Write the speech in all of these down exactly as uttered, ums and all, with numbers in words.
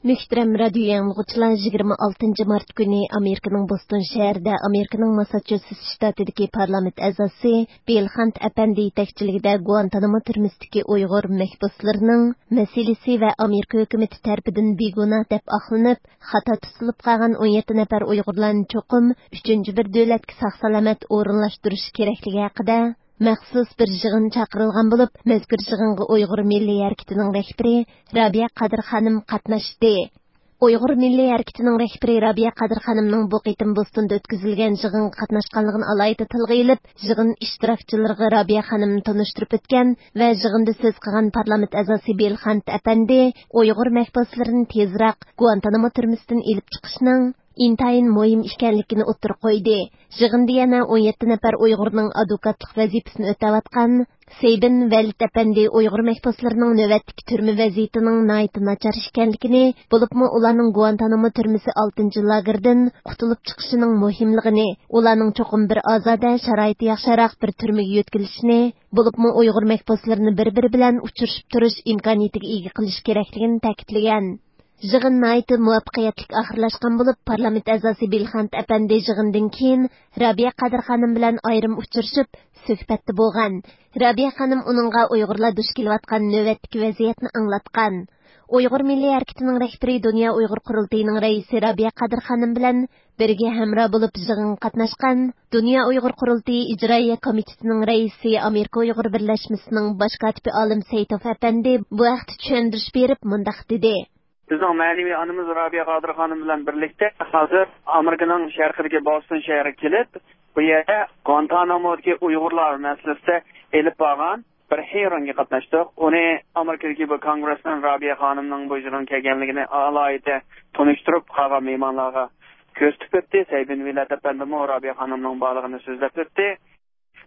مۆھتەرەم رادىيو ئاڭلىغۇچىلار، يىگىرمە ئالتىنچى مارت كۈنى ئامېرىكىنىڭ بوستون شەھىرىدە ئامېرىكىنىڭ ماسساچۇسېتس شتاتىدىكى پارلامېنت ئەزاسى بىل خانت ئەپەندى يېتەكچىلىكىدە گۇئانتانامو تۈرمىسىدىكى ئۇيغۇر مەھبۇسلىرىنىڭ مەسىلىسى ۋە ئامېرىكا ھۆكۈمىتى تەرىپىدىن بىگۇناھ دەپ ئاقلىنىپ، خاتا تۇتۇلۇپ قالغان ئون يەتتە نەپەر ئۇيغۇرلارنى چوقۇم ئۈچىنچى بىر دۆلەتكە ساق-سالامەت ئورۇنلاشتۇرۇش كېرەكلىكى ھەققىدە مەخسۇس بىر يىغىن چاقىرىلغان بولۇپ، مەزكۇر يىغىنغا ئۇيغۇر مىللىي ھەرىكىتىنىڭ رەھبىرى رابىيە قادىر خانىم قاتناشتى. ئۇيغۇر مىللىي ھەرىكىتىنىڭ رەھبىرى رابىيە قادىر خانىمنىڭ بۇ قېتىم بوستوندا ئۆتكۈزۈلگەن يىغىنغا قاتناشقانلىقىنى ئالاھىدە تىلغا ئېلىپ، يىغىن ئىشتىراكچىلىرىغا رابىيە خانىمنى تونۇشتۇرۇپ ئۆتكەن ۋە يىغىندا سۆز قىلغان پارلامېنت ئەزاسى بىل خانت ئەپەندى ئۇيغۇر مەھبۇسلىرىنى تېزراق گۇئانتانامو تۈرمىسىدىن ئېلىپ چىقىشنىڭ ئىنتايىن مۇھىم ئىكەنلىكىنى ئوتتۇرىغا قويدى. يىغىندا يەنە ئون يەتتە نەپەر ئۇيغۇرنىڭ ئادۋوكاتلىق ۋەزىپىسىنى ئۆتەۋاتقان سەيبىن ۋەلىت ئەپەندى ئۇيغۇر مەھبۇسلىرىنىڭ نۆۋەتتىكى تۈرمە ۋەزىيىتىنىڭ ناھايىتى ناچار ئىكەنلىكىنى، بولۇپمۇ ئۇلارنىڭ گۇئانتانامو تۈرمىسى ئالتىنچى لاگېردىن قۇتۇلۇپ چىقىشىنىڭ مۇھىملىقىنى، ئۇلارنىڭ چوقۇم بىر ئازادە، شارائىتى ياخشىراق بىر تۈرمىگە يۆتكىلىشىنى، بولۇپمۇ ئۇيغۇر مەھبۇسلىرىنى بىر-بىرى بىلەن ئۇچرىشىپ تۇرۇش ئىمكانىيىتىگە ئىگە قىلىش كېرەكلىكىنى تەكىتلىگەن. يىغىن ناھايىتى مۇۋەپپەقىيەتلىك ئاخىرلاشقان بولۇپ، پارلامېنت ئەزاسى بىلخانت ئەپەندى يىغىندىن كېيىن رابىيە قادىر خانىم بىلەن ئايرىم ئۇچرىشىپ، سۆھبەتتە بولغان. رابىيە خانىم ئۇنىڭغا ئۇيغۇرلار دۇچ كېلىۋاتقان نۆۋەتتىكى ۋەزىيەتنى ئاڭلاتقان. ئۇيغۇر مىللىي ھەرىكىتىنىڭ رەھبىرى، دۇنيا ئۇيغۇر قۇرۇلتىيىنىڭ رەئىسى رابىيە قادىر خانىم بىلەن بىرگە ھەمراھ بولۇپ يىغىنغا قاتناشقان دۇنيا ئۇيغۇر قۇرۇلتىيى ئىجرائىيە كومىتېتىنىڭ رەئىسى، ئامېرىكا ئۇيغۇر بىرلەشمىسىنىڭ باش كاتىپى ئالىم سەيتوف ئەپەندى بۇ ھەقتە چۈشەندۈرۈش بېرىپ مۇنداق دېدى. بىزنىڭ مەنىۋى ئانىمىز رابىيە قادىر خانىم بىلەن بىرلىكتە ھازىر ئامېرىكىنىڭ شەرقىدىكى بوستون شەھىرىگە كېلىپ، بۇ يەردە گۇانتانامودىكى ئۇيغۇرلار مەسىلىسىدە ئېلىپ بارغان بىر ھېرىڭگە قاتناشتۇق. ئۇنى ئامېرىكىدىكى بۇ كونگرېسمېن رابىيە خانىمنىڭ بۇ يىغىنغا كەلگەنلىكىنى ئالاھىدە تونۇشتۇرۇپ، قالغان مېھمانلارغا كۆرسىتىپ ئۆتتى. سەيبىن ۋىلەت ئەپەندىمۇ رابىيە خانىمنىڭ بارلىقىنى سۆزلەپ ئۆتتى.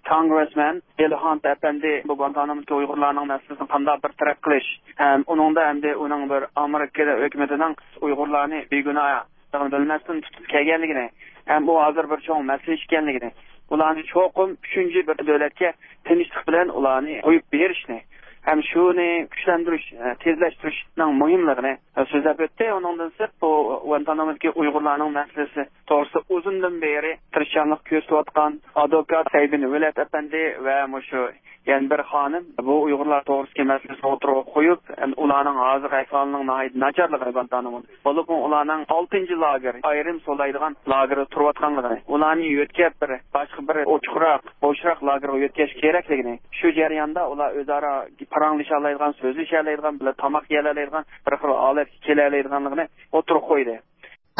كونگرېسمېن بىل خانت ئەپەندى بۇ گۇانتانامودىكى ئۇيغۇرلارنىڭ مەسىلىسىنى قانداق بىر تەرەپ قىلىش ھەم ئۇنىڭدا ئەمدى ئۇنىڭ بىر ئامېرىكا ھۆكۈمىتىنىڭ ئۇيغۇرلارنى بىگۇناھ بىلمەستىن تۇتۇپ كەلگەنلىكىنى ھەم ئۇ ھازىر بىر چوڭ مەسىلە ئىكەنلىكىنى، ئۇلارنى چوقۇم ئۈچىنچى بىر دۆلەتكە تىنچلىق بىلەن ئۇلارنى قويۇپ بېرىشنى ھەم شۇنى كۈچلەندۈرۈش، تېزلەشتۈرۈشنىڭ مۇھىملىقىنى سۆزلەپ ئۆتتى. ئۇنىڭدىن سىرت، بۇ گۇانتانامودىكى ئۇيغۇرلارنىڭ مەسىلىسى توغرىسىدا ئۇزۇندىن بېرى تىرىشچانلىق كۆرسىتىۋاتقان ئادۋوكات سەيبىن ۋىلەت ئەپەندى ۋە مۇشۇ يەنە بىر خانىم بۇ ئۇيغۇرلار توغرىسىدىكى مەسىلىسىنى ئوتتۇرىغا قويۇپ، ئۇلارنىڭ ھازىرقى ئەھۋالىنىڭ ناھايىتى ناچارلىقىنى، گۇانتانامودا، بولۇپمۇ ئۇلارنىڭ ئالتىنچى لاگېر، ئايرىم سولايدىغان لاگېردا تۇرۇۋاتقانلىقىنى، ئۇلارنى يۆتكەپ بىر باشقا بىر ئوچۇقراق، بوشراق لاگېرغا يۆتكەش كېرەكلىكىنى، شۇ جەرياندا ئۇلار ئۆزئارا پاراڭلىشالايدىغان، سۆزلىشەلەيدىغان، بىللە تاماق يېيەلەيدىغان بىر خىل ھالەتكە كېلەلەيدىغانلىقىنى ئوتتۇرىغا قويدى.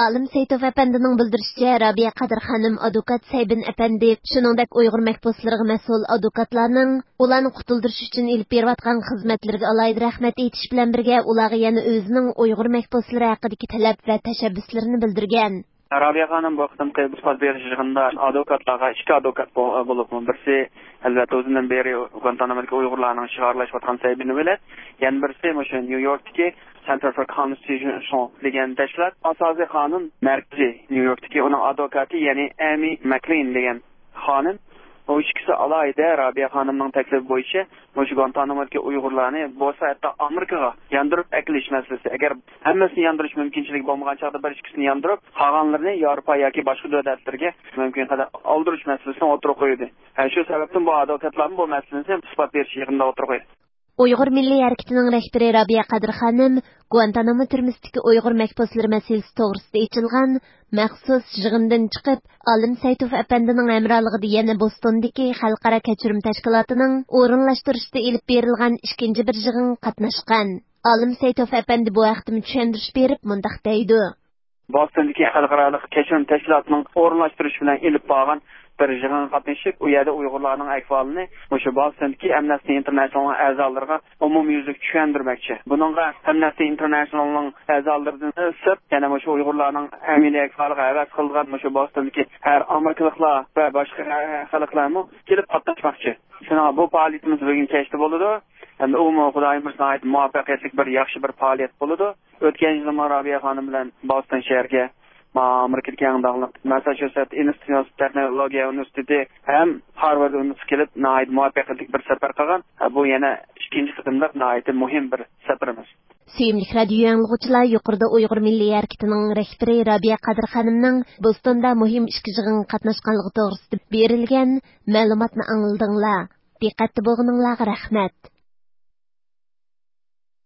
ئالىم سەيتوف ئەپەندىنىڭ بىلدۈرۈشىچە، رابىيە قادىر خانىم ئادۋوكات سەيبىن ئەپەندى، شۇنىڭدەك ئۇيغۇر مەھبۇسلىرىغا مەسئۇل ئادۋوكاتلارنىڭ ئۇلارنى قۇتۇلدۇرۇش ئۈچۈن ئېلىپ بېرىۋاتقان خىزمەتلىرىگە ئالاھىدە رەھمەت ئېيتىش بىلەن بىرگە، ئۇلارغا يەنە ئۆزىنىڭ ئۇيغۇر مەھبۇسلىرى ھەققىدىكى تەلەپ ۋە تەشەببۇسلىرىنى بىلدۈرگەن. رابىيە خانىم بۇ قېتىمقى ئىسپات بېرىش يىغىنىدا ئادۋوكاتلارغا، ئىككى ئادۋوكات بو-، بولۇپمۇ، بىرسى، ئەلۋەتتە، ئۇزۇندىن بېرى گۇانتانامودىكى ئۇيغۇرلارنىڭ ئىشىغا ئارىلاشىۋاتقان سەيبىن ۋىلەت، يەنە بىرسى مۇشۇ نيۇ يوركتىكى سېنتەر فور كونستىتۇشن دېگەن تەشكىلات، ئاساسىي قانۇن مەركىزى نيۇ يوركتىكى ئۇنىڭ ئادۋوكاتى، يەنى ئەمى مەكلىن دېگەن خانىم. بۇ ئىككىسى ئالاھىدە رابىيە خانىمنىڭ تەكلىپى بويىچە مۇشۇ گۇانتانامودىكى ئۇيغۇرلارنى بولسا ھەتتا ئامېرىكىغا ياندۇرۇپ ئەكېلىش مەسىلىسى. ئەگەر ھەممىسىنى ياندۇرۇش مۇمكىنچىلىكى بولمىغان چاغدا بىر ئىككىسىنى ياندۇرۇپ، قالغانلىرىنى ياۋروپا ياكى باشقا دۆلەتلەرگە مۇمكىن قەدەر ئالدۇرۇش مەسىلىسىنى ئوتتۇرىغا قويدى. ھە، شۇ سەۋەبتىن بۇ ئادۋوكاتلارمۇ بۇ مەسىلىنى ئىسپات بېرىش يىغىنىدا ئوتتۇرىغا قويدى. ئۇيغۇر مىللىي ھەرىكىتىنىڭ رەھبىرى رابىيە قادىر خانىم گۇانتانامو تۈرمىسىدىكى ئۇيغۇر مەھبۇسلىرى مەسىلىسى توغرىسىدا ئېچىلغان مەخسۇس يىغىندىن چىقىپ، ئالىم سەيتوف ئەپەندىنىڭ ھەمراھلىقىدا يەنە بوستوندىكى خەلقئارا كەچۈرۈم تەشكىلاتىنىڭ ئورۇنلاشتۇرۇشىدا ئېلىپ بېرىلغان ئىككىنچى بىر يىغىنغا قاتناشقان. ئالىم سەيتوف ئەپەندى بۇ ھەقتىمۇ چۈشەندۈرۈش بېرىپ مۇنداق دەيدۇ. بوستوندىكى خەلقئارالىق كەچۈرۈم تەشكىلاتىنىڭ ئورۇنلاشتۇرۇشى بىلەن ئېلىپ بارغان بىر يىغىنغا قاتنىشىپ، ئۇ يەردە ئۇيغۇرلارنىڭ ئەھۋالىنى مۇشۇ بوستوندىكى ئەمنەستى ئىنتېرناشنالنىڭ ئەزالىرىغا ئومۇميۈزلۈك چۈشەندۈرمەكچى. بۇنىڭغا ئەمنەستى ئىنتېرناشنالنىڭ ئەزالىرىدىن سىرت، يەنە مۇشۇ ئۇيغۇرلارنىڭ ئەمەلىي ئەھۋالىغا ھەۋەس قىلىدىغان مۇشۇ بوستوندىكى ھەر ئامېرىكىلىقلار ۋە باشقا خەلقلەرمۇ كېلىپ قاتناشماقچى. شۇڭا بۇ پائالىيىتىمىز بۈگۈن كەچتە بولىدۇ. ئەمدى ئۇمۇ خۇدايىم بۇيرۇسا ناھايىتى مۇۋەپپەقىيەتلىك بىر ياخشى بىر پائالىيەت بولىدۇ. ئۆتكەن يىلىمۇ رابىيە خانىم بىلەن بوستون شەھىرىگە، ما-، ئامېرىكىدىكى ئەڭ داڭلىق ماسساچۇسېتس ئىنستىتۇت تېخنولوگىيە ئۇنىۋېرسىتېتى ھەم خارۋارد ئۇنىۋېرسىتېتىغا كېلىپ، ناھايىتى مۇۋەپپەقىيەتلىك بىر سەپەر قىلغان. بۇ يەنە ئىككىنچى قېتىملىق ناھايىتى مۇھىم بىر سەپىرىمىز. سۆيۈملۈك رادىيو ئاڭلىغۇچىلار، يۇقىرىدا ئۇيغۇر مىللىي ھەرىكىتىنىڭ رەھبىرى رابىيە قادىر خانىمنىڭ بوستوندا مۇھىم ئىككى يىغىنغا قاتناشقانلىقى توغرىسىدا بېرىلگەن مەلۇماتنى ئاڭلىدىڭلار. دىققەتتە بولغىنىڭلارغا رەھمەت.